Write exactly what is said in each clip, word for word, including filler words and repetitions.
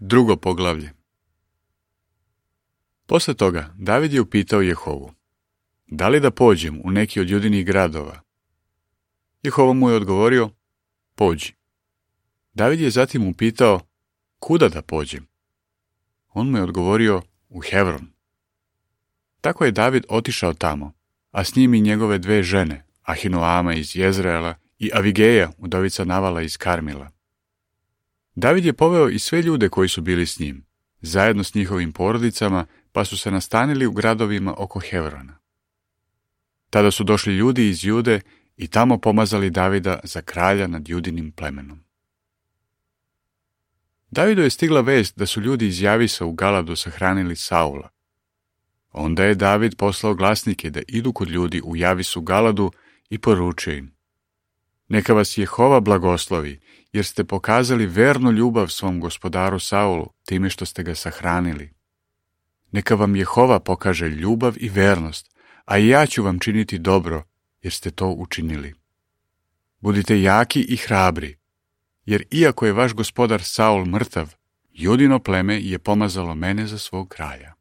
Drugo poglavlje. Posle toga David je upitao Jehovu: da li da pođem u neki od Judinih gradova? Jehova mu je odgovorio: pođi. David je zatim upitao: kuda da pođem? On mu je odgovorio: u Hevron. Tako je David otišao tamo, a s njim i njegove dve žene, Ahinoama iz Jezreela i Avigeja, udovica Navala iz Karmila. David je poveo i sve ljude koji su bili s njim, zajedno s njihovim porodicama, pa su se nastanili u gradovima oko Hevrona. Tada su došli ljudi iz Jude i tamo pomazali Davida za kralja nad Judinim plemenom. Davidu je stigla vest da su ljudi iz Javisa u Galadu sahranili Saula. Onda je David poslao glasnike da idu kod ljudi u Javisu Galadu i poručio im: neka vas Jehova blagoslovi, jer ste pokazali vernu ljubav svom gospodaru Saulu time što ste ga sahranili. Neka vam Jehova pokaže ljubav i vernost, a i ja ću vam činiti dobro, jer ste to učinili. Budite jaki i hrabri, jer iako je vaš gospodar Saul mrtav, Judino pleme je pomazalo mene za svog kralja.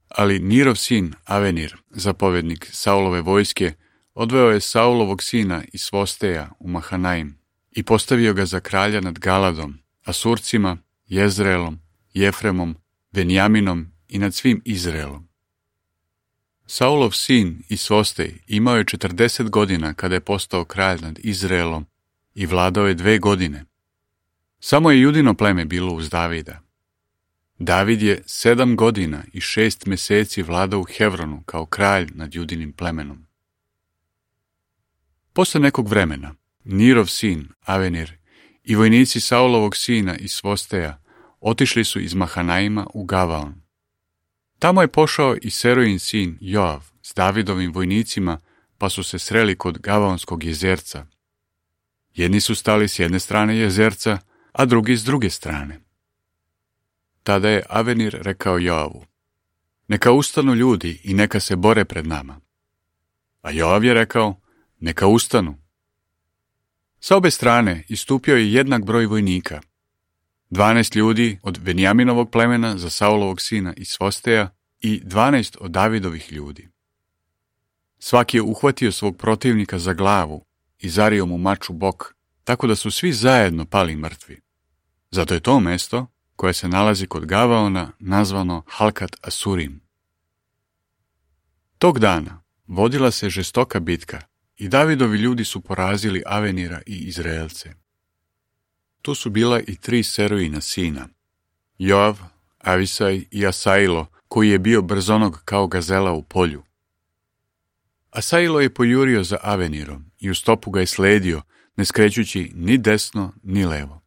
Ali Nirov sin Avenir, zapovednik Saulove vojske, odveo je Saulovog sina iz Svosteja u Mahanaim i postavio ga za kralja nad Galadom, Asurcima, Jezreelom, Jefremom, Benjaminom i nad svim Izraelom. Saulov sin iz Svostej imao je četrdeset godina kada je postao kralj nad Izraelom i vladao je dve godine. Samo je Judino pleme bilo uz Davida. David je sedam godina i šest meseci vladao u Hevronu kao kralj nad Judinim plemenom. Posle nekog vremena, Nirov sin, Avenir, i vojnici Saulovog sina iz Svosteja otišli su iz Mahanaima u Gavaon. Tamo je pošao i Serojin sin Joav s Davidovim vojnicima, pa su se sreli kod Gavaonskog jezerca. Jedni su stali s jedne strane jezerca, a drugi s druge strane. Tada je Avenir rekao Joavu: neka ustanu ljudi i neka se bore pred nama. A Joav je rekao: neka ustanu. Sa obe strane istupio je jednak broj vojnika. Dvanaest ljudi od Benjaminovog plemena za Saulovog sina iz Svosteja i dvanaest od Davidovih ljudi. Svaki je uhvatio svog protivnika za glavu i zario mu mač u bok, tako da su svi zajedno pali mrtvi. Zato je to mesto, koje se nalazi kod Gavaona, nazvano Halkat Asurim. Tog dana vodila se žestoka bitka i Davidovi ljudi su porazili Avenira i Izraelce. Tu su bila i tri Serojina sina, Joav, Avisaj i Asailo, koji je bio brzonog kao gazela u polju. Asailo je pojurio za Avenirom i u stopu ga je sledio, ne skrećući ni desno ni levo.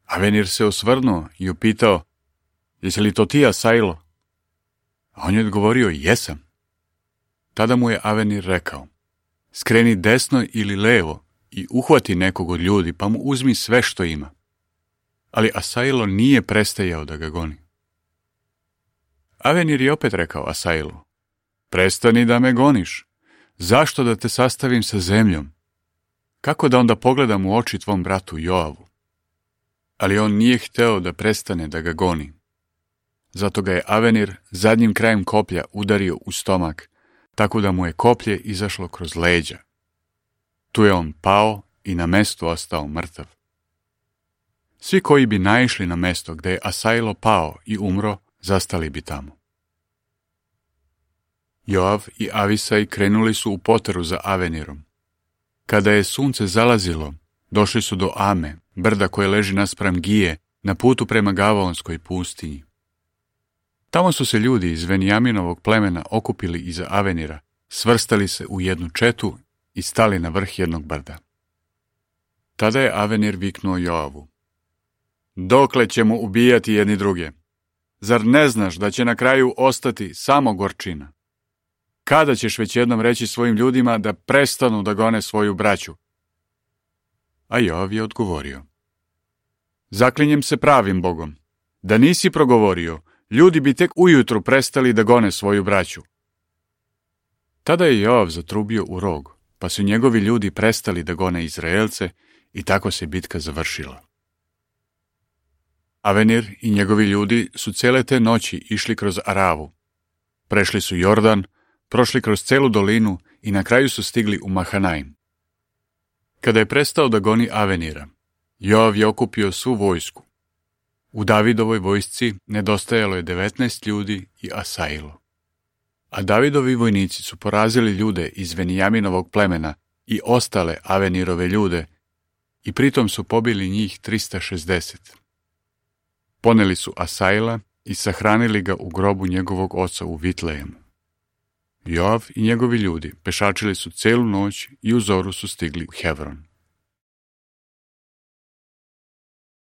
Avenir se osvrnuo i upitao: jesi li to ti, Asailo? A on je odgovorio: jesam. Tada mu je Avenir rekao: skreni desno ili levo i uhvati nekog od ljudi, pa mu uzmi sve što ima. Ali Asailo nije prestajao da ga goni. Avenir je opet rekao Asailu: prestani da me goniš. Zašto da te sastavim sa zemljom? Kako da onda pogledam u oči tvom bratu Joavu? Ali on nije hteo da prestane da ga goni. Zato ga je Avenir zadnjim krajem koplja udario u stomak, tako da mu je koplje izašlo kroz leđa. Tu je on pao i na mestu ostao mrtav. Svi koji bi naišli na mesto gde je Asailo pao i umro, zastali bi tamo. Joav i Avisaj krenuli su u poteru za Avenirom. Kada je sunce zalazilo, došli su do Ame, brda koje leži naspram Gije, na putu prema Gavaonskoj pustinji. Tamo su se ljudi iz Benjaminovog plemena okupili iza Avenira, svrstali se u jednu četu i stali na vrh jednog brda. Tada je Avenir viknuo Joavu: dokle ćemo ubijati jedni druge? Zar ne znaš da će na kraju ostati samo gorčina? Kada ćeš već jednom reći svojim ljudima da prestanu da gone svoju braću? A Joav je odgovorio: zaklinjem se pravim Bogom, da nisi progovorio, ljudi bi tek ujutru prestali da gone svoju braću. Tada je Joav zatrubio u rog, pa su njegovi ljudi prestali da gone Izraelce i tako se bitka završila. Avenir i njegovi ljudi su cijele te noći išli kroz Aravu. Prešli su Jordan, prošli kroz celu dolinu i na kraju su stigli u Mahanaim. Kada je prestao da goni Avenira, Joav je okupio svu vojsku. U Davidovoj vojsci nedostajalo je devetnaest ljudi i Asailo. A Davidovi vojnici su porazili ljude iz Venijaminovog plemena i ostale Avenirove ljude i pritom su pobili njih trista šezdeset. Poneli su Asaila i sahranili ga u grobu njegovog oca u Vitlejemu. Joav i njegovi ljudi pešačili su celu noć i u zoru su stigli u Hevron.